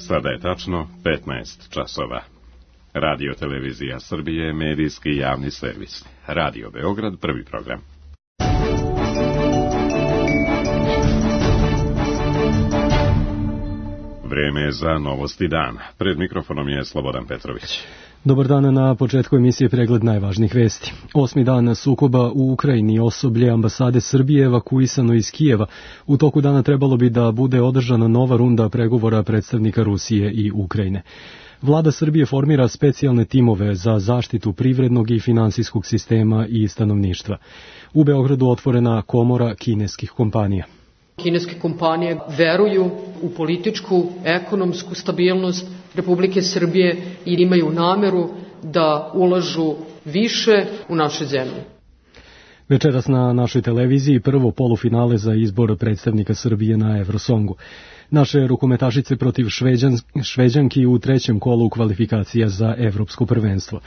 Sada je tačno 15 časova. Radio Televizija Srbije, medijski javni servis. Radio Beograd, prvi program. Vreme je za novosti dana. Pred mikrofonom je Slobodan Petrović. Dobar dan, na početku emisije pregled najvažnijih vesti. 8. dan sukoba u Ukrajini, osoblje ambasade Srbije evakuisano iz Kijeva. U toku dana trebalo bi da bude održana nova runda pregovora predstavnika Rusije i Ukrajine. Vlada Srbije formira specijalne timove za zaštitu privrednog i finansijskog sistema i stanovništva. U Beogradu otvorena komora kineskih kompanija. Kineske kompanije veruju u političku, ekonomsku stabilnost Republike Srbije i imaju nameru da ulažu više u naše zemlje. Večeras na našoj televiziji prvo polufinale za izbor predstavnika Srbije na Eurosongu. Naše rukometašice protiv Šveđanki u trećem kolu kvalifikacija za evropsko prvenstvo.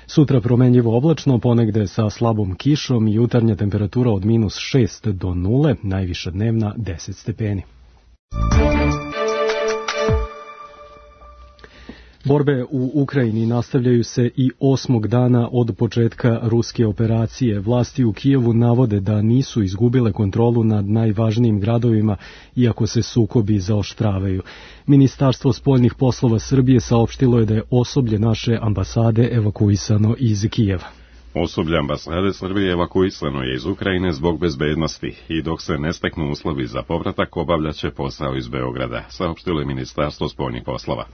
Sutra promenljivo oblačno, ponegde sa slabom kišom i jutarnja temperatura od -6 do 0, najviša dnevna 10 stepeni. Borbe u Ukrajini nastavljaju se i 8. dana od početka ruske operacije. Vlasti u Kijevu navode da nisu izgubile kontrolu nad najvažnijim gradovima, iako se sukobi zaoštravaju. Ministarstvo spoljnih poslova Srbije saopštilo je da je osoblje naše ambasade evakuisano iz Kijeva. Osoblje ambasade Srbije evakuisano je iz Ukrajine zbog bezbednosti i dok se ne steknu uslovi za povratak obavljaće posao iz Beograda, saopštilo je Ministarstvo spoljnih poslova.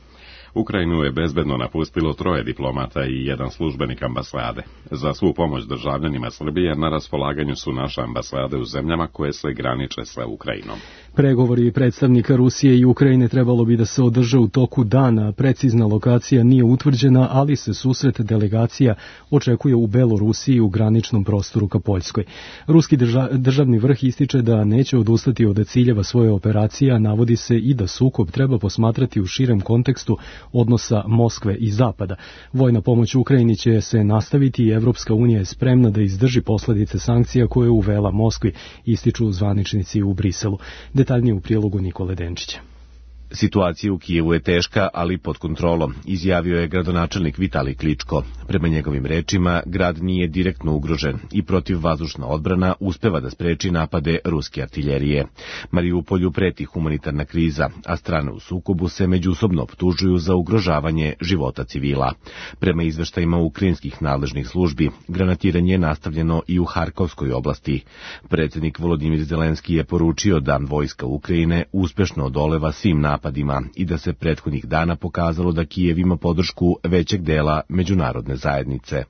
Ukrajinu je bezbedno napustilo 3 diplomata i 1 službenik ambasade. Za svu pomoć državljanima Srbije na raspolaganju su naše ambasade u zemljama koje se graniče sa Ukrajinom. Pregovori predstavnika Rusije i Ukrajine trebalo bi da se održe u toku dana. Precizna lokacija nije utvrđena, ali se susret delegacija očekuje u Belorusiji u graničnom prostoru ka Poljskoj. Ruski državni vrh ističe da neće odustati od ciljeva svoje operacije, a navodi se i da sukob treba posmatrati u širem kontekstu odnosa Moskve i Zapada. Vojna pomoć Ukrajini će se nastaviti i Evropska unija je spremna da izdrži posledice sankcija koje je uvela Moskvi, ističu zvaničnici u Briselu. Detaljnije u prilogu Nikole Denčića. Situacija u Kijevu je teška, ali pod kontrolom, izjavio je gradonačelnik Vitalij Kličko. Prema njegovim rečima, grad nije direktno ugrožen i protivvazdušna odbrana uspeva da spreči napade ruske artiljerije. Mariupolju preti humanitarna kriza, a strane u sukobu se međusobno optužuju za ugrožavanje života civila. Prema izveštajima ukrajinskih nadležnih službi, granatiranje je nastavljeno i u Harkovskoj oblasti. Predsjednik Volodimir Zelenski je poručio da vojska Ukrajine uspešno odoleva svim napadima i da se prethodnih dana pokazalo da Kijev ima podršku većeg dela međunarodne zajednice.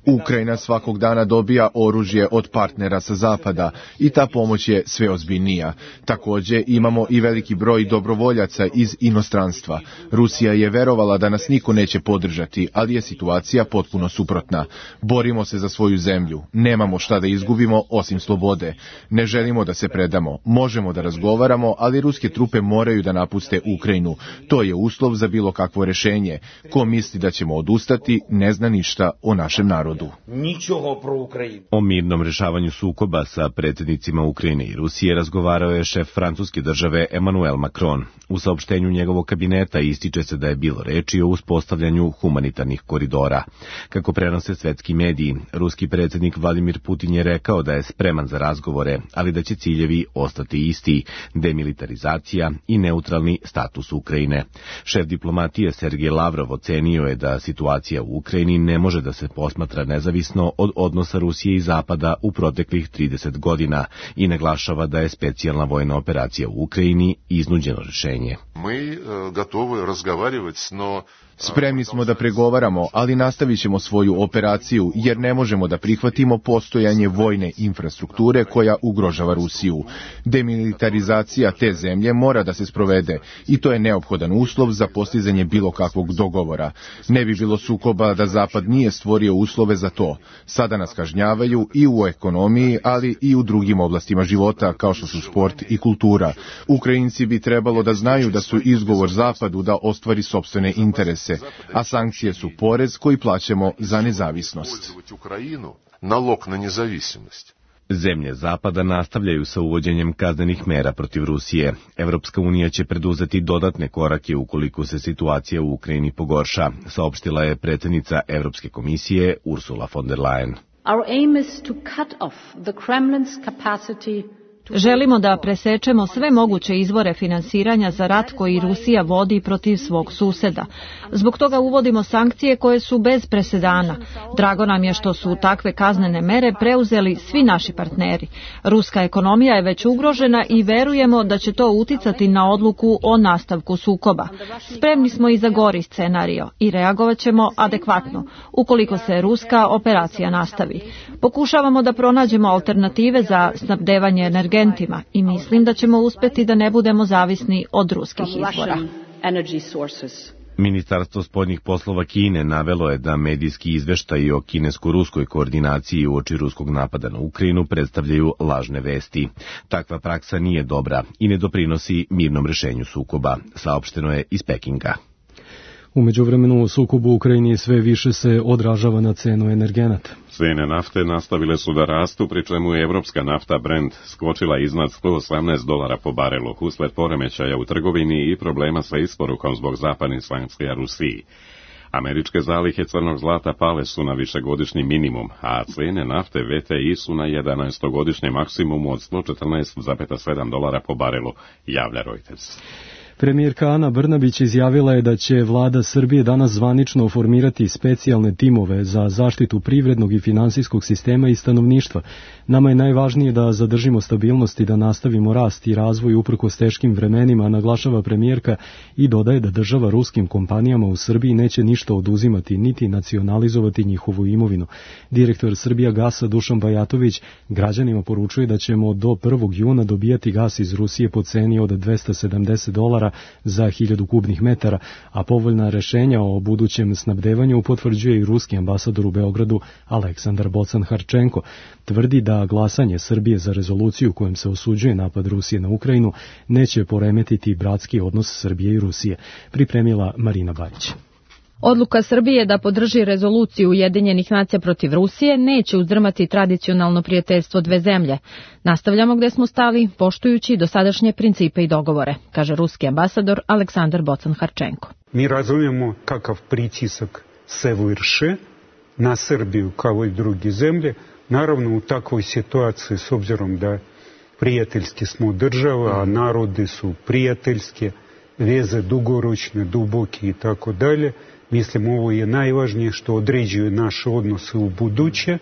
Ukrajina svakog dana dobija oružje od partnera sa zapada i ta pomoć je sve ozbiljnija. Također imamo i veliki broj dobrovoljaca iz inostranstva. Rusija je verovala da nas niko neće podržati, ali je situacija potpuno suprotna. Borimo se za svoju zemlju. Nemamo šta da izgubimo osim slobode. Ne želimo da se predamo. Možemo da razgovaramo, ali ruske trupe moraju da napuste Ukrajinu. To je uslov za bilo kakvo rešenje. Ko misli da ćemo odustati, ne zna ništa o našem narodu. O mirnom rešavanju sukoba sa predsjednicima Ukrajine i Rusije razgovarao je šef francuske države Emmanuel Macron. U saopštenju njegovog kabineta ističe se da je bilo reči o uspostavljanju humanitarnih koridora. Kako prenose svetski mediji, ruski predsjednik Vladimir Putin je rekao da je spreman za razgovore, ali da će ciljevi ostati isti, demilitarizacija i neutralni status Ukrajine. Šef diplomatije Sergej Lavrov ocenio je da situacija u Ukrajini ne može da se posmatra nezavisno od odnosa Rusije i Zapada u proteklih 30 godina i naglašava da je specijalna vojna operacija u Ukrajini iznuđeno rješenje. Spremni smo da pregovaramo, ali nastavit ćemo svoju operaciju jer ne možemo da prihvatimo postojanje vojne infrastrukture koja ugrožava Rusiju. Demilitarizacija te zemlje mora da se sprovede i to je neophodan uslov za postizanje bilo kakvog dogovora. Ne bi bilo sukoba da Zapad nije stvorio uslove za to. Sada nas kažnjavaju i u ekonomiji, ali i u drugim oblastima života kao što su sport i kultura. Ukrajinci bi trebalo da znaju da su izgovor Zapadu da ostvari sopstvene interese, a sankcije su porez koji plaćamo za nezavisnost. Zemlje Zapada nastavljaju sa uvođenjem kaznenih mera protiv Rusije. Evropska unija će preduzeti dodatne korake ukoliko se situacija u Ukrajini pogorša, saopštila je predsjednica Evropske komisije Ursula von der Leyen. Our aim is to cut off the Kremlin's capacity. Želimo da presečemo sve moguće izvore finansiranja za rat koji Rusija vodi protiv svog suseda. Zbog toga uvodimo sankcije koje su bez presedana. Drago nam je što su takve kaznene mere preuzeli svi naši partneri. Ruska ekonomija je već ugrožena i verujemo da će to uticati na odluku o nastavku sukoba. Spremni smo i za gori scenario i reagovat ćemo adekvatno ukoliko se ruska operacija nastavi. Pokušavamo da pronađemo alternative za snabdevanje energentima i mislim da ćemo uspjeti da ne budemo zavisni od ruskih izvora. Ministarstvo spoljnih poslova Kine navelo je da medijski izveštaji o kinesko-ruskoj koordinaciji uoči ruskog napada na Ukrajinu predstavljaju lažne vesti. Takva praksa nije dobra i ne doprinosi mirnom rešenju sukoba, saopšteno je iz Pekinga. U međuvremenu sukob u Ukrajini sve više se odražava na cenu energenata. Cijene nafte nastavile su da rastu, pri čemu je evropska nafta Brent skočila iznad $118 po barelu usled poremećaja u trgovini i problema sa isporukom zbog zapadnih sankcija Rusiji. Američke zalihe crnog zlata pale su na višegodišnji minimum, a cijene nafte VTI su na 11-godišnjem maksimumu od $114,7 po barelu, javlja Reuters. Premijerka Ana Brnabić izjavila je da će vlada Srbije danas zvanično formirati specijalne timove za zaštitu privrednog i finansijskog sistema i stanovništva. Nama je najvažnije da zadržimo stabilnost i da nastavimo rast i razvoj uprkos teškim vremenima, naglašava premijerka i dodaje da država ruskim kompanijama u Srbiji neće ništa oduzimati niti nacionalizovati njihovu imovinu. Direktor Srbijagasa Dušan Bajatović građanima poručuje da ćemo do 1. juna dobijati gas iz Rusije po ceni od $270 za 1000 kubnih metara, a povoljna rešenja o budućem snabdevanju potvrđuje i ruski ambasador u Beogradu Aleksandar Bocan-Harčenko. Tvrdi da glasanje Srbije za rezoluciju kojom se osuđuje napad Rusije na Ukrajinu neće poremetiti bratski odnos Srbije i Rusije. Pripremila Marina Bajić. Odluka Srbije da podrži rezoluciju Ujedinjenih nacija protiv Rusije neće uzdrmati tradicionalno prijateljstvo dve zemlje. Nastavljamo gde smo stali, poštujući dosadašnje principe i dogovore, kaže ruski ambasador Aleksandar Bocan-Harčenko. Mi razumijemo kakav pritisak se vrši na Srbiju kao i druge zemlje. Naravno, u takvoj situaciji, s obzirom da prijateljski smo država, a narodi su prijateljske, veze dugoročne, duboke i tako dalje, mislim, ovo je najvažnije što određuje naše odnose u buduće,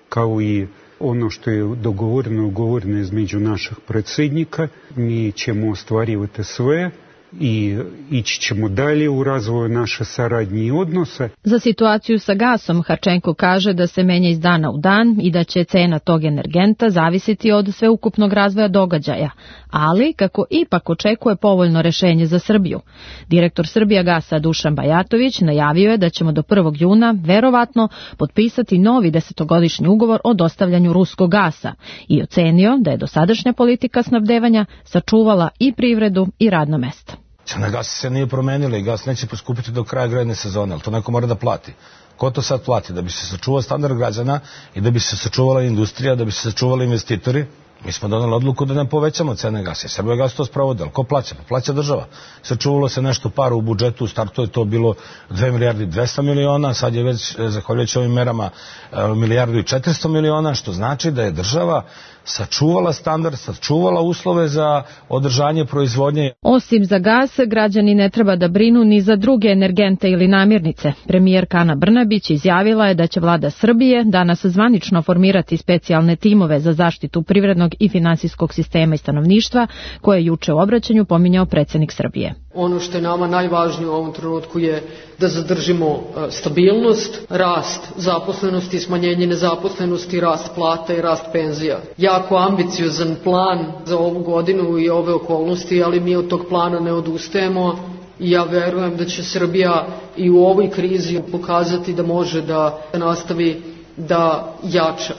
kao i ono što je ugovoreno između naših predsjednika. Mi ćemo ostvarivati sve i ići ćemo dalje u razvoju naše saradnje i odnose. Za situaciju sa gasom Harčenko kaže da se menja iz dana u dan i da će cena tog energenta zavisiti od sveukupnog razvoja događaja, ali kako ipak očekuje povoljno rešenje za Srbiju. Direktor Srbijagasa Dušan Bajatović najavio je da ćemo do 1. juna verovatno potpisati novi 10-godišnji ugovor o dostavljanju ruskog gasa i ocenio da je dosadašnja politika snabdevanja sačuvala i privredu i radna mesta. Cena gasa se nije promenila i gas neće poskupiti do kraja grejne sezone, ali to neko mora da plati. Ko to sad plati? Da bi se sačuvao standard građana i da bi se sačuvala industrija, da bi se sačuvali investitori. Mi smo donali odluku da ne povećamo cene gasa. Srbijagas to sprovode, ali ko plaća? Pa plaća država. Sačuvalo se nešto para u budžetu, u startu je to bilo 2 milijardi 200 miliona, sad je već, zahvaljujući ovim merama, 1 milijardu i 400 miliona, što znači da je država sačuvala standard, sačuvala uslove za održanje proizvodnje. Osim za gas, građani ne treba da brinu ni za druge energente ili namirnice. Premijerka Ana Brnabić izjavila je da će vlada Srbije danas zvanično formirati specijalne timove za zaštitu privrednog i finansijskog sistema i stanovništva, koje je juče u obraćanju pominjao predsjednik Srbije. Ono što je nama najvažnije u ovom trenutku je da zadržimo stabilnost, rast zaposlenosti i smanjenje nezaposlenosti, rast plata i rast penzija. Jako ambiciozan plan za ovu godinu i ove okolnosti, ali mi od tog plana ne odustajemo i ja verujem da će Srbija i u ovoj krizi pokazati da može da nastavi da jača.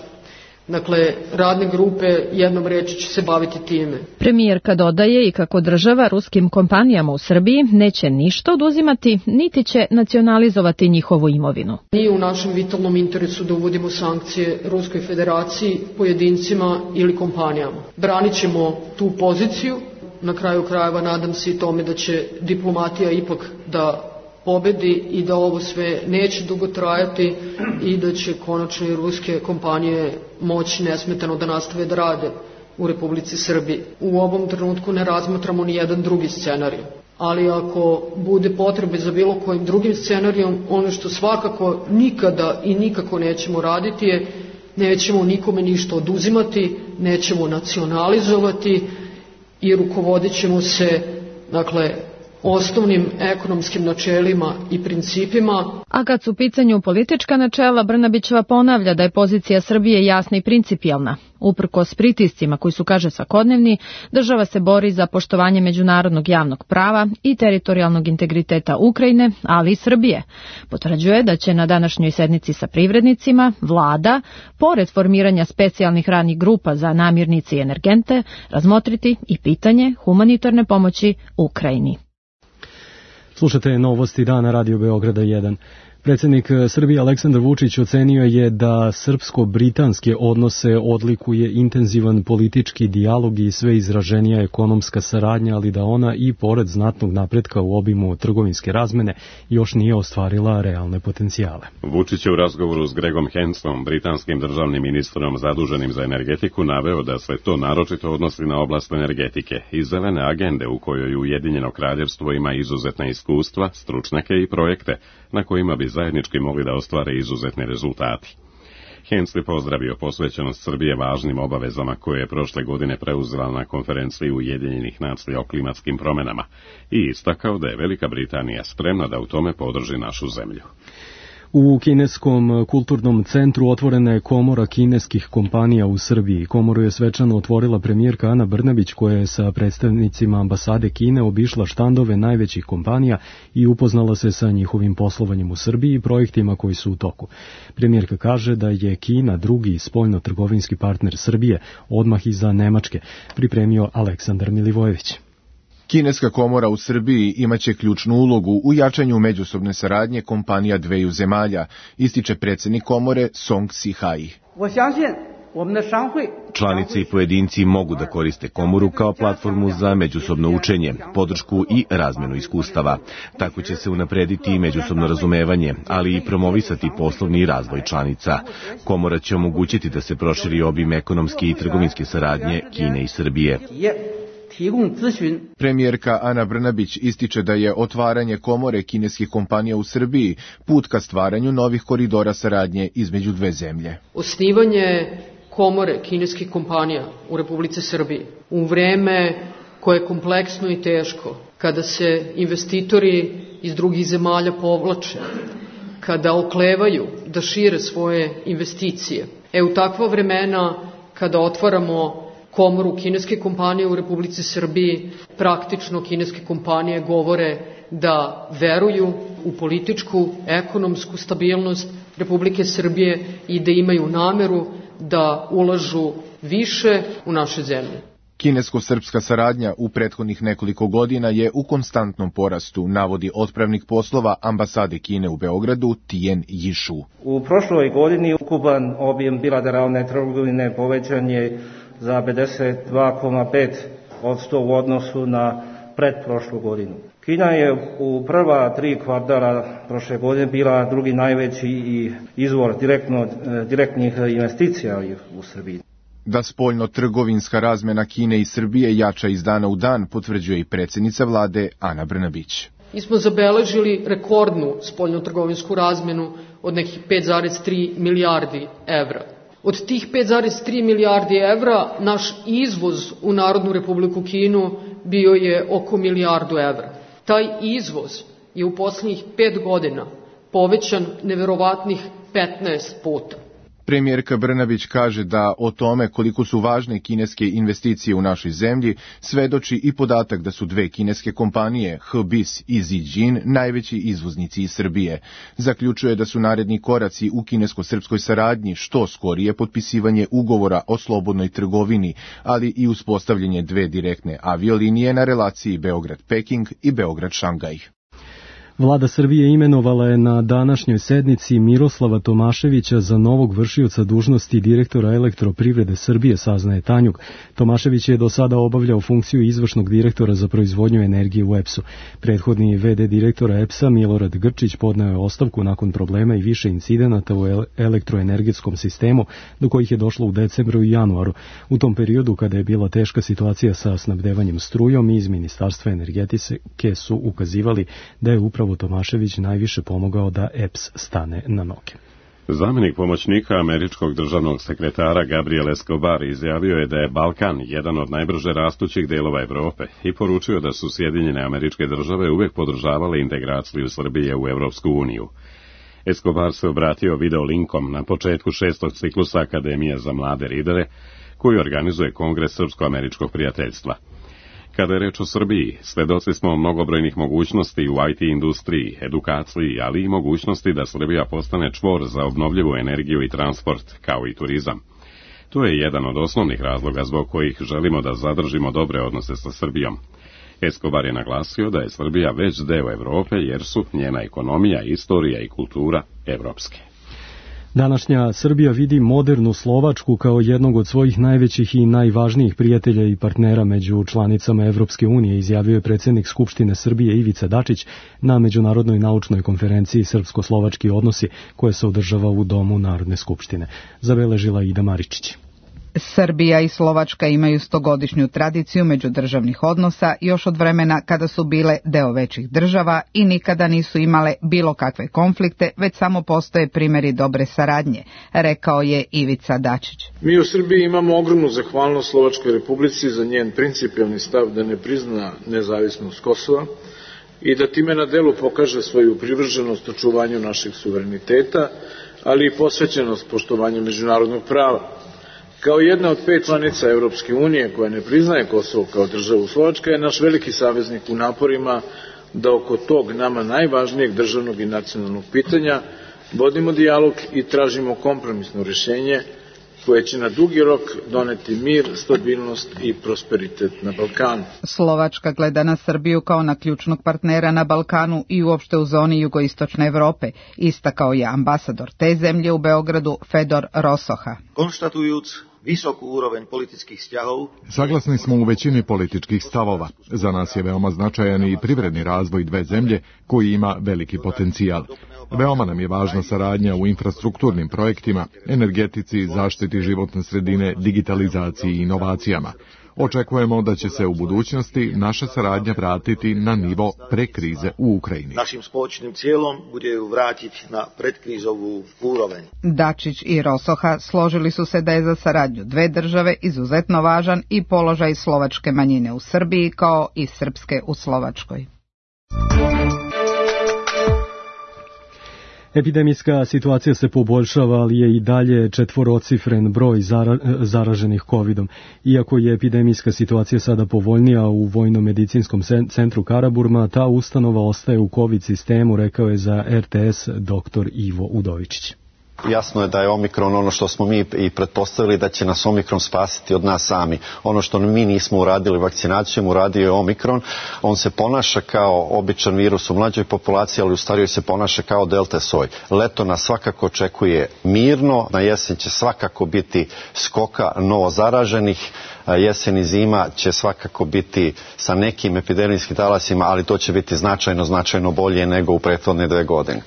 Dakle, radne grupe jednom reći će se baviti time. Premijerka dodaje i kako država ruskim kompanijama u Srbiji neće ništa oduzimati, niti će nacionalizovati njihovu imovinu. Nije u našem vitalnom interesu da uvodimo sankcije Ruskoj federaciji, pojedincima ili kompanijama. Branit ćemo tu poziciju, na kraju krajeva nadam se i tome da će diplomatija ipak da pobedi i da ovo sve neće dugo trajati i da će konačno i ruske kompanije moći nesmetano da nastave da rade u Republici Srbiji. U ovom trenutku ne razmatramo ni jedan drugi scenarij, ali ako bude potrebe za bilo kojim drugim scenarijom, ono što svakako nikada i nikako nećemo raditi je nećemo nikome ništa oduzimati, nećemo nacionalizovati i rukovodit ćemo se, dakle, osnovnim ekonomskim načelima i principima. A kad su u pitanju politička načela, Brnabićeva ponavlja da je pozicija Srbije jasna i principijelna. Uprkos pritiscima koji su, kaže, svakodnevni, država se bori za poštovanje međunarodnog javnog prava i teritorijalnog integriteta Ukrajine, ali i Srbije. Potvrđuje da će na današnjoj sednici sa privrednicima vlada, pored formiranja specijalnih radnih grupa za namirnice i energente, razmotriti i pitanje humanitarne pomoći Ukrajini. Slušate novosti dana Radio Beograda 1. Predsjednik Srbije Aleksandar Vučić ocenio je da srpsko-britanske odnose odlikuje intenzivan politički dijalog i sve izraženija ekonomska saradnja, ali da ona i pored znatnog napretka u obimu trgovinske razmene još nije ostvarila realne potencijale. Vučić je u razgovoru s Gregom Hensom, britanskim državnim ministrom zaduženim za energetiku, naveo da se to naročito odnosi na oblast energetike i zelene agende u kojoj Ujedinjeno kraljevstvo ima izuzetna iskustva, stručnjake i projekte na kojima bi zajednički mogli da ostvare izuzetne rezultati. Hens je pozdravio posvećenost Srbije važnim obavezama koje je prošle godine preuzela na konferenciji Ujedinjenih nacija o klimatskim promjenama i istakao da je Velika Britanija spremna da u tome podrži našu zemlju. U kineskom kulturnom centru otvorena je komora kineskih kompanija u Srbiji. Komoru je svečano otvorila premijerka Ana Brnabić, koja je sa predstavnicima ambasade Kine obišla štandove najvećih kompanija i upoznala se sa njihovim poslovanjem u Srbiji i projektima koji su u toku. Premijerka kaže da je Kina drugi spoljno-trgovinski partner Srbije, odmah iza Nemačke, pripremio Aleksandar Milivojević. Kineska komora u Srbiji imaće ključnu ulogu u jačanju međusobne saradnje kompanija dveju zemalja, ističe predsjednik komore Song Si-hai. Članice i pojedinci mogu da koriste komoru kao platformu za međusobno učenje, podršku i razmenu iskustava. Tako će se unaprediti i međusobno razumevanje, ali i promovisati poslovni razvoj članica. Komora će omogućiti da se proširi obim ekonomske i trgovinske saradnje Kine i Srbije. Premijerka Ana Brnabić ističe da je otvaranje komore kineskih kompanija u Srbiji put ka stvaranju novih koridora saradnje između dve zemlje. Osnivanje komore kineskih kompanija u Republici Srbiji u vreme koje je kompleksno i teško, kada se investitori iz drugih zemalja povlače, kada oklevaju da šire svoje investicije. U takva vremena kada otvaramo komoru kineske kompanije u Republici Srbiji, praktično kineske kompanije govore da veruju u političku, ekonomsku stabilnost Republike Srbije i da imaju nameru da ulažu više u naše zemlje. Kinesko-srpska saradnja u prethodnih nekoliko godina je u konstantnom porastu, navodi otpravnik poslova ambasade Kine u Beogradu Tijen Jišu. U prošloj godini ukupan objem bilateralne trgovine povećan je za 52,5% u odnosu na pretprošlu godinu. Kina je u prva 3 kvartala prošle godine bila drugi najveći izvor direktnih investicija u Srbiji. Da spoljno-trgovinska razmena Kine i Srbije jača iz dana u dan, potvrđuje i predsjednica vlade Ana Brnabić. Mi smo zabeležili rekordnu spoljno-trgovinsku razmenu od nekih 5,3 milijardi evra. Od tih 5,3 milijardi evra naš izvoz u Narodnu Republiku Kinu bio je oko milijardu evra. Taj izvoz je u posljednjih 5 godina povećan neverovatnih 15 puta. Premijerka Brnabić kaže da o tome koliko su važne kineske investicije u našoj zemlji svedoči i podatak da su dve kineske kompanije, HBIS i Zijin, najveći izvoznici iz Srbije. Zaključuje da su naredni koraci u kinesko-srpskoj saradnji što skorije potpisivanje ugovora o slobodnoj trgovini, ali i uspostavljanje dve direktne aviolinije na relaciji Beograd-Peking i Beograd-Šangaj. Vlada Srbije imenovala je na današnjoj sednici Miroslava Tomaševića za novog vršioca dužnosti direktora Elektroprivrede Srbije, saznaje Tanjug. Tomašević je do sada obavljao funkciju izvršnog direktora za proizvodnju energije u EPS-u. Prethodni VD direktora EPS-a Milorad Grčić podneo je ostavku nakon problema i više incidenata u elektroenergetskom sistemu, do kojih je došlo u decembru i januaru. U tom periodu, kada je bila teška situacija sa snabdevanjem strujom, iz Ministarstva energetike su ukazivali da je upravo Tomašević najviše pomogao da EPS stane na noge. Zamjenik pomoćnika američkog državnog sekretara Gabriel Escobar izjavio je da je Balkan jedan od najbrže rastućih delova Evrope i poručio da su Sjedinjene Američke Države uvijek podržavale integraciju Srbije u Evropsku uniju. Escobar se obratio video linkom na početku 6. ciklusa Akademije za mlade lidere, koju organizuje Kongres Srpsko-američkog prijateljstva. Kada je reč o Srbiji, svedoci smo mnogobrojnih mogućnosti u IT industriji, edukaciji, ali i mogućnosti da Srbija postane čvor za obnovljivu energiju i transport, kao i turizam. To je jedan od osnovnih razloga zbog kojih želimo da zadržimo dobre odnose sa Srbijom. Escobar je naglasio da je Srbija već deo Evrope jer su njena ekonomija, istorija i kultura evropske. Današnja Srbija vidi modernu Slovačku kao jednog od svojih najvećih i najvažnijih prijatelja i partnera među članicama Evropske unije, izjavio je predsjednik Skupštine Srbije Ivica Dačić na Međunarodnoj naučnoj konferenciji Srpsko-slovački odnosi, koja se održava u Domu Narodne skupštine. Zabeležila Ida Maričić. Srbija i Slovačka imaju 100-godišnju tradiciju međudržavnih odnosa još od vremena kada su bile deo većih država i nikada nisu imale bilo kakve konflikte, već samo postoje primjeri dobre saradnje, rekao je Ivica Dačić. Mi u Srbiji imamo ogromnu zahvalnost Slovačkoj republici za njen principijelni stav da ne prizna nezavisnost Kosova i da time na delu pokaže svoju privrženost očuvanju našeg suvereniteta, ali i posvećenost poštovanju međunarodnog prava. Kao jedna od 5 članica Evropske unije koja ne priznaje Kosovo kao državu, Slovačka je naš veliki saveznik u naporima da oko tog nama najvažnijeg državnog i nacionalnog pitanja vodimo dijalog i tražimo kompromisno rješenje koje će na dugi rok doneti mir, stabilnost i prosperitet na Balkanu. Slovačka gleda na Srbiju kao na ključnog partnera na Balkanu i uopšte u zoni jugoistočne Evrope, istakao je ambasador te zemlje u Beogradu Fedor Rosoha. Konštatujuc visoku úroveň politických vzťahov. Saglasni smo u većini političkih stavova. Za nas je veoma značajan i privredni razvoj dve zemlje koji ima veliki potencijal. Veoma nam je važna saradnja u infrastrukturnim projektima, energetici, zaštiti životne sredine, digitalizaciji i inovacijama. Očekujemo da će se u budućnosti naša saradnja vratiti na nivo pre krize u Ukrajini. Našim spoločnim cijelom bude ju vratiti na predkrizovu úroveň. Dačić i Rosoha složili su se da je za saradnju dve države izuzetno važan i položaj slovačke manjine u Srbiji kao i srpske u Slovačkoj. Epidemijska situacija se poboljšava, ali je i dalje četvorocifren broj zaraženih COVID-om. Iako je epidemijska situacija sada povoljnija u Vojno-medicinskom centru Karaburma, ta ustanova ostaje u COVID sistemu, rekao je za RTS dr. Ivo Udovičić. Jasno je da je Omikron ono što smo mi i pretpostavili da će nas Omikron spasiti od nas sami. Ono što mi nismo uradili vakcinacijom, uradio je Omikron. On se ponaša kao običan virus u mlađoj populaciji, ali u starijoj se ponaša kao delta soj. Leto nas svakako očekuje mirno, na jesen će svakako biti skoka novo zaraženih, jesen i zima će svakako biti sa nekim epidemijskim talasima, ali to će biti značajno bolje nego u prethodne 2 godine.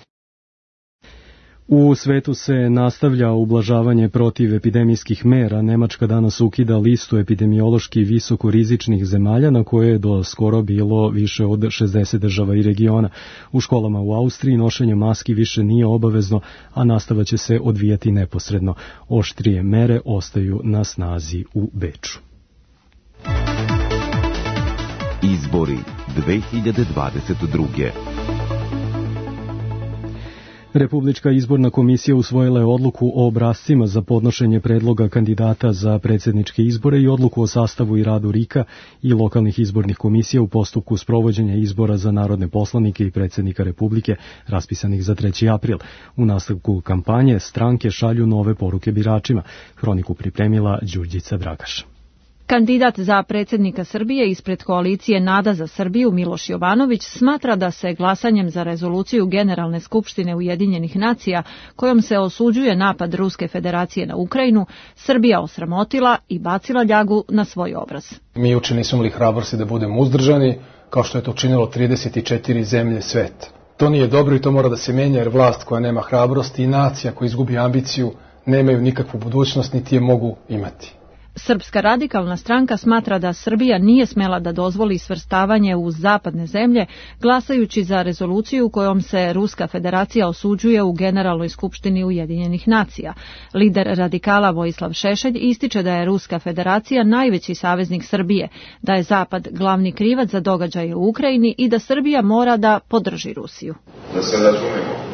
U svetu se nastavlja ublažavanje protiv epidemijskih mera. Nemačka danas ukida listu epidemiološki visokorizičnih zemalja na koje je do skoro bilo više od 60 država i regiona. U školama u Austriji nošenje maski više nije obavezno, a nastava će se odvijati neposredno. Oštrije mere ostaju na snazi u Beču. Izbori 2022. Republička izborna komisija usvojila je odluku o obrascima za podnošenje predloga kandidata za predsjedničke izbore i odluku o sastavu i radu RIK-a i lokalnih izbornih komisija u postupku sprovođenja izbora za narodne poslanike i predsjednika Republike raspisanih za 3. april. U nastavku kampanje stranke šalju nove poruke biračima. Hroniku pripremila Đurđica Dragaš. Kandidat za predsjednika Srbije ispred koalicije Nada za Srbiju Miloš Jovanović smatra da se glasanjem za rezoluciju Generalne skupštine Ujedinjenih nacija kojom se osuđuje napad Ruske federacije na Ukrajinu, Srbija osramotila i bacila ljagu na svoj obraz. Mi juče nismo imali hrabrosti da budemo uzdržani, kao što je to učinilo 34 zemlje sveta. To nije dobro i to mora da se menja, jer vlast koja nema hrabrosti i nacija koja izgubi ambiciju nemaju nikakvu budućnost niti je mogu imati. Srpska radikalna stranka smatra da Srbija nije smela da dozvoli svrstavanje u zapadne zemlje, glasajući za rezoluciju kojom se Ruska federacija osuđuje u Generalnoj skupštini Ujedinjenih nacija. Lider radikala Vojislav Šešelj ističe da je Ruska federacija najveći saveznik Srbije, da je Zapad glavni krivac za događaje u Ukrajini i da Srbija mora da podrži Rusiju. Da se razumemo,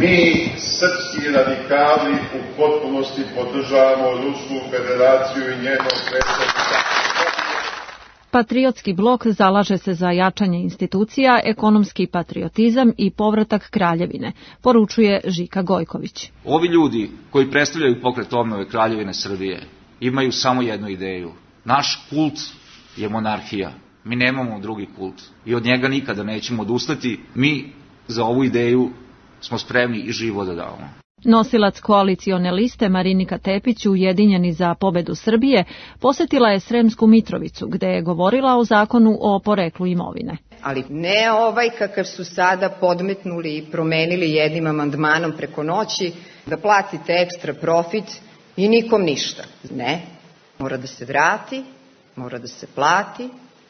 mi, srpski radikali, u potpunosti podržavamo Rusku federaciju i njenog predsjednika. Patriotski blok zalaže se za jačanje institucija, ekonomski patriotizam i povratak kraljevine, poručuje Žika Gojković. Ovi ljudi koji predstavljaju pokret obnove Kraljevine Srbije imaju samo jednu ideju. Naš kult je monarhija. Mi nemamo drugi kult i od njega nikada nećemo odustati. Mi za ovu ideju smo spremni i živo da damo. Nosilac koalicione liste Marinika Tepić, Ujedinjeni za pobedu Srbije, posjetila je Sremsku Mitrovicu, gde je govorila o zakonu o poreklu imovine. Ali ne ovaj kakav su sada podmetnuli i promenili jednim amandmanom preko noći, da platite ekstra profit i nikom ništa. Ne, mora da se vrati, mora da se plati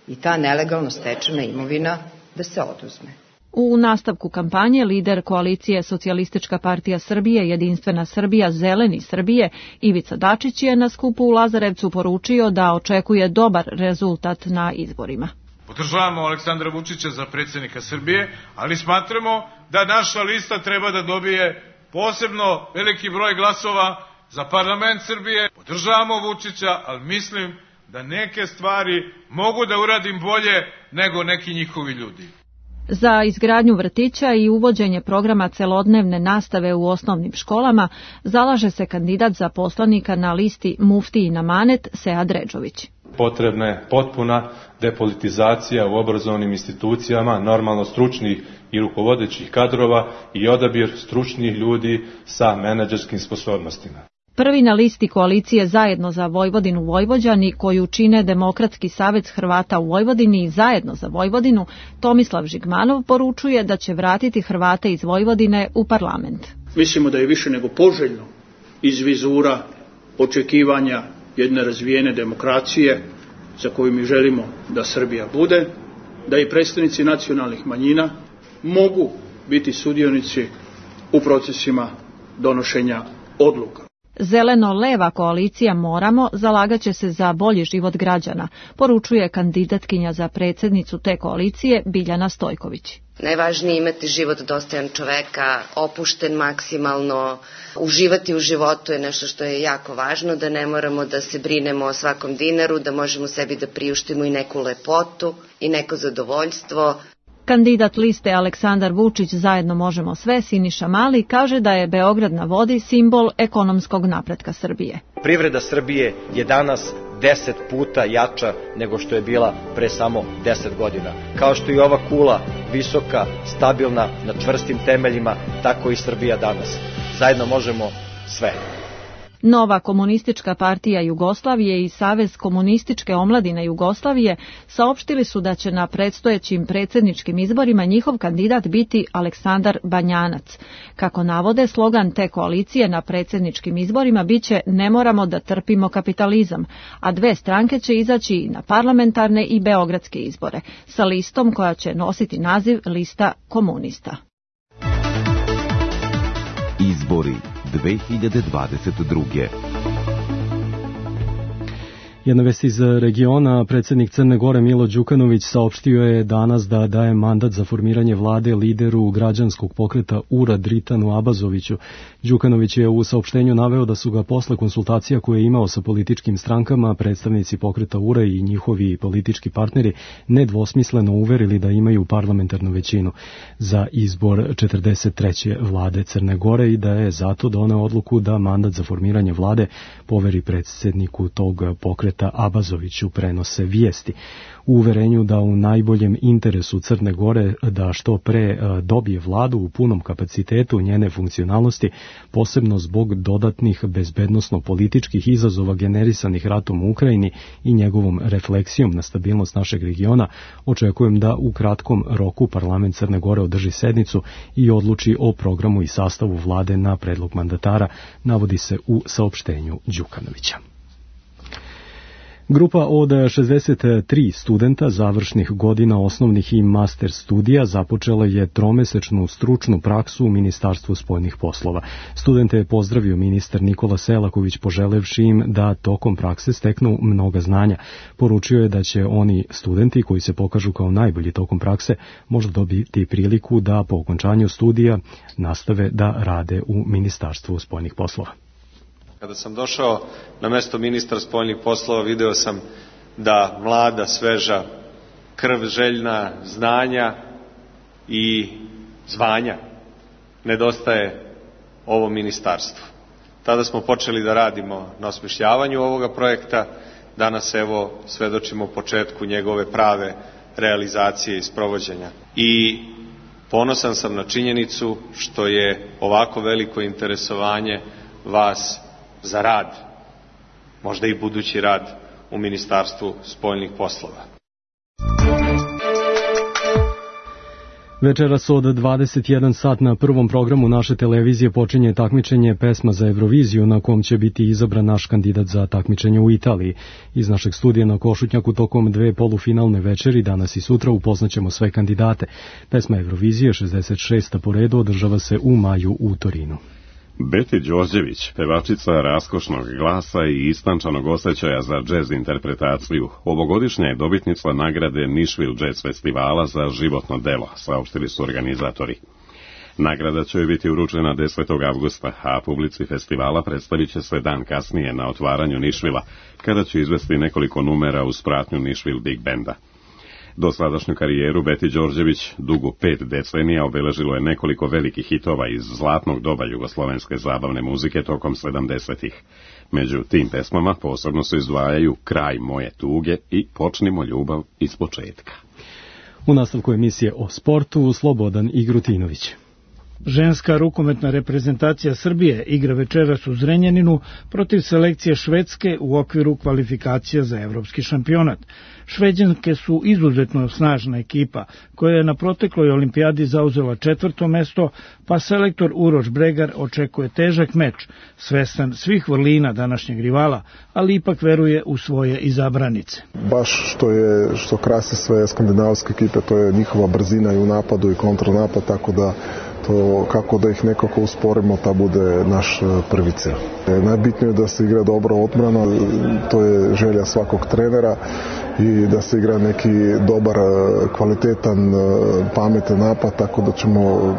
i ta nelegalno stečena imovina da se oduzme. U nastavku kampanje lider koalicije Socijalistička partija Srbije, Jedinstvena Srbija, Zeleni Srbije, Ivica Dačić je na skupu u Lazarevcu poručio da očekuje dobar rezultat na izborima. Podržavamo Aleksandra Vučića za predsjednika Srbije, ali smatramo da naša lista treba da dobije posebno veliki broj glasova za parlament Srbije. Podržavamo Vučića, ali mislim da neke stvari mogu da uradim bolje nego neki njihovi ljudi. Za izgradnju vrtića i uvođenje programa celodnevne nastave u osnovnim školama zalaže se kandidat za poslanika na listi Muftijin amanet Sead Redžović. Potrebna je potpuna depolitizacija u obrazovnim institucijama, normalno stručnih i rukovodećih kadrova i odabir stručnih ljudi sa menadžerskim sposobnostima. Prvi na listi koalicije Zajedno za Vojvodinu Vojvođani, koju čine Demokratski savez Hrvata u Vojvodini i Zajedno za Vojvodinu, Tomislav Žigmanov poručuje da će vratiti Hrvate iz Vojvodine u parlament. Mislimo da je više nego poželjno iz vizura očekivanja jedne razvijene demokracije za koju mi želimo da Srbija bude, da i predstavnici nacionalnih manjina mogu biti sudionici u procesima donošenja odluka. Zeleno-leva koalicija Moramo zalagaće se za bolji život građana, poručuje kandidatkinja za predsjednicu te koalicije Biljana Stojković. Najvažnije je imati život dostojan čoveka, opušten maksimalno, uživati u životu je nešto što je jako važno, da ne moramo da se brinemo o svakom dinaru, da možemo sebi da priuštimo i neku lepotu i neko zadovoljstvo. Kandidat liste Aleksandar Vučić Zajedno možemo sve, Siniša Mali, kaže da je Beograd na vodi simbol ekonomskog napretka Srbije. Privreda Srbije je danas 10 puta jača nego što je bila pre samo 10 godina. Kao što je ova kula visoka, stabilna, na čvrstim temeljima, tako i Srbija danas. Zajedno možemo sve. Nova komunistička partija Jugoslavije i Savez komunističke omladine Jugoslavije saopštili su da će na predstojećim predsjedničkim izborima njihov kandidat biti Aleksandar Banjanac. Kako navode, slogan te koalicije na predsjedničkim izborima biće "Ne moramo da trpimo kapitalizam", a dve stranke će izaći i na parlamentarne i beogradske izbore, sa listom koja će nositi naziv Lista komunista. Izbori 2022. Jedna vest iz regiona, predsjednik Crne Gore Milo Đukanović saopštio je danas da daje mandat za formiranje vlade lideru građanskog pokreta URA Dritanu Abazoviću. Đukanović je u saopštenju naveo da su ga posle konsultacija koje je imao sa političkim strankama predstavnici pokreta URA i njihovi politički partneri nedvosmisleno uverili da imaju parlamentarnu većinu za izbor 43. vlade Crne Gore i da je zato doneo odluku da mandat za formiranje vlade poveri predsjedniku tog pokreta Abazoviću, prenose vijesti. U uverenju da u najboljem interesu Crne Gore da što pre dobije vladu u punom kapacitetu njene funkcionalnosti, posebno zbog dodatnih bezbednosno-političkih izazova generisanih ratom u Ukrajini i njegovom refleksijom na stabilnost našeg regiona, očekujem da u kratkom roku parlament Crne Gore održi sednicu i odluči o programu i sastavu vlade na predlog mandatara, navodi se u saopštenju Đukanovića. Grupa od 63 studenta završnih godina osnovnih i master studija započela je tromesečnu stručnu praksu u Ministarstvu spoljnih poslova. Studente je pozdravio ministar Nikola Selaković poželevši im da tokom prakse steknu mnoga znanja. Poručio je da će oni studenti koji se pokažu kao najbolji tokom prakse možda dobiti priliku da po okončanju studija nastave da rade u Ministarstvu spoljnih poslova. Kada sam došao na mesto ministra spoljnih poslova, video sam da mlada, sveža krv, željna znanja i zvanja nedostaje ovom ministarstvu. Tada smo počeli da radimo na osmišljavanju ovoga projekta, danas evo svedočimo početku njegove prave realizacije i sprovođenja. I ponosan sam na činjenicu što je ovako veliko interesovanje vas za rad, možda i budući rad u Ministarstvu spoljnih poslova. Večeras od 21 sat na prvom programu naše televizije počinje takmičenje Pesma za Euroviziju na kom će biti izabran naš kandidat za takmičenje u Italiji. Iz našeg studija na Košutnjaku tokom dve polufinalne večeri danas i sutra upoznaćemo sve kandidate. Pesma Eurovizije 66. po redu održava se u maju u Torinu. Beti Đorđević, pevačica raskošnog glasa i istančanog osjećaja za džez interpretaciju, ovogodišnja je dobitnica nagrade Nashville Jazz Festivala za životno delo, saopštili su organizatori. Nagrada će biti uručena 10. avgusta, a publici festivala predstavit će se dan kasnije na otvaranju Nashvilla, kada će izvesti nekoliko numera uz pratnju Nashville Big Banda. Dosadašnju karijeru Beti Đorđević, dugu 5 decenija, obeležilo je nekoliko velikih hitova iz zlatnog doba jugoslovenske zabavne muzike tokom 70-ih. Među tim pesmama posebno se izdvajaju Kraj moje tuge i Počnimo ljubav iz početka. U nastavku emisije o sportu Slobodan Igrutinović. Ženska rukometna reprezentacija Srbije igra večeras u Zrenjaninu protiv selekcije Švedske u okviru kvalifikacija za evropski šampionat. Šveđanke su izuzetno snažna ekipa koja je na protekloj olimpijadi zauzela 4. mesto, pa selektor Uroš Bregar očekuje težak meč, svestan svih vrlina današnjeg rivala, ali ipak veruje u svoje izabranice. Baš što krasi sve skandinavske ekipe, to je njihova brzina i u napadu i kontranapad, tako da to kako da ih nekako usporimo, ta bude naš prvi cilj. Najbitnije je da se igra dobro odbrana, to je želja svakog trenera i da se igra neki dobar, kvalitetan, pametan napad, tako da ćemo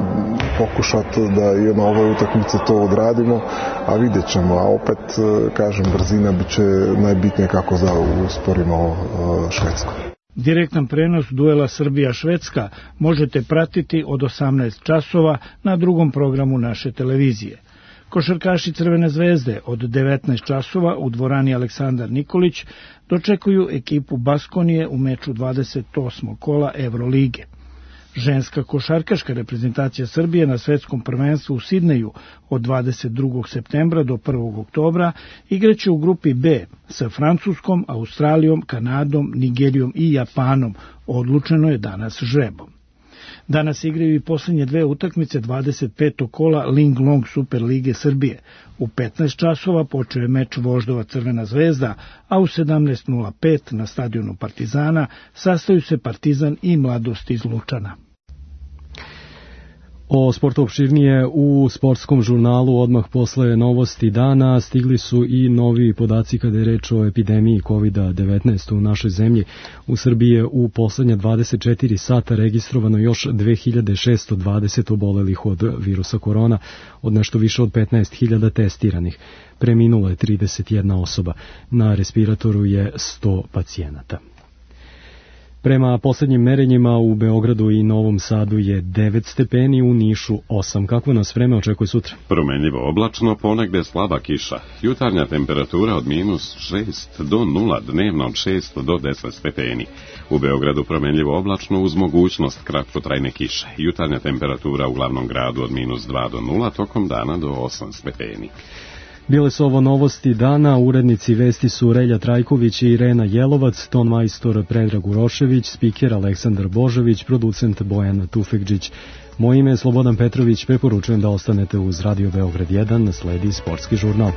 pokušati da i na ovoj utakmici to odradimo, a vidjet ćemo, a opet, kažem, brzina bit će najbitnije kako da usporimo Švedsku. Direktan prenos duela Srbija-Švedska možete pratiti od 18 časova na drugom programu naše televizije. Košarkaši Crvene zvezde od 19 časova u dvorani Aleksandar Nikolić dočekuju ekipu Baskonije u meču 28. kola Evrolige. Ženska košarkaška reprezentacija Srbije na svetskom prvenstvu u Sidneju od 22. septembra do 1. oktobra igraće u grupi B sa Francuskom, Australijom, Kanadom, Nigerijom i Japanom. Odlučeno je danas žrebom. Danas igraju i posljednje dve utakmice 25. kola Ling Long Super Lige Srbije. U 15 časova počeo je meč Voždova Crvena zvezda, a u 17:05 na stadionu Partizana sastaju se Partizan i Mladost iz Lučana. O sportu opširnije u sportskom žurnalu odmah posle novosti dana stigli su i novi podaci kada je reč o epidemiji COVID-19 u našoj zemlji. U Srbiji je u poslednja 24 sata registrovano još 2620 obolelih od virusa korona, od nešto više od 15.000 testiranih. Preminulo je 31 osoba. Na respiratoru je 100 pacijenata. Prema poslednjim merenjima u Beogradu i Novom Sadu je 9 stepeni, u Nišu 8. Kako nas vreme očekuje sutra? Promenljivo oblačno, ponegde slaba kiša. Jutarnja temperatura od -6 do 0, dnevno od 6 do 10 stepeni. U Beogradu promenljivo oblačno uz mogućnost kratkotrajne kiše. Jutarnja temperatura u glavnom gradu od -2 do 0, tokom dana do 8 stepeni. Bile su ovo novosti dana, urednici vesti su Relja Trajković i Irena Jelovac, ton majstor Predrag Urošević, spiker Aleksandar Božović, producent Bojan Tufekđić. Moje ime je Slobodan Petrović, preporučujem da ostanete uz Radio Beograd 1, sledi sportski žurnal.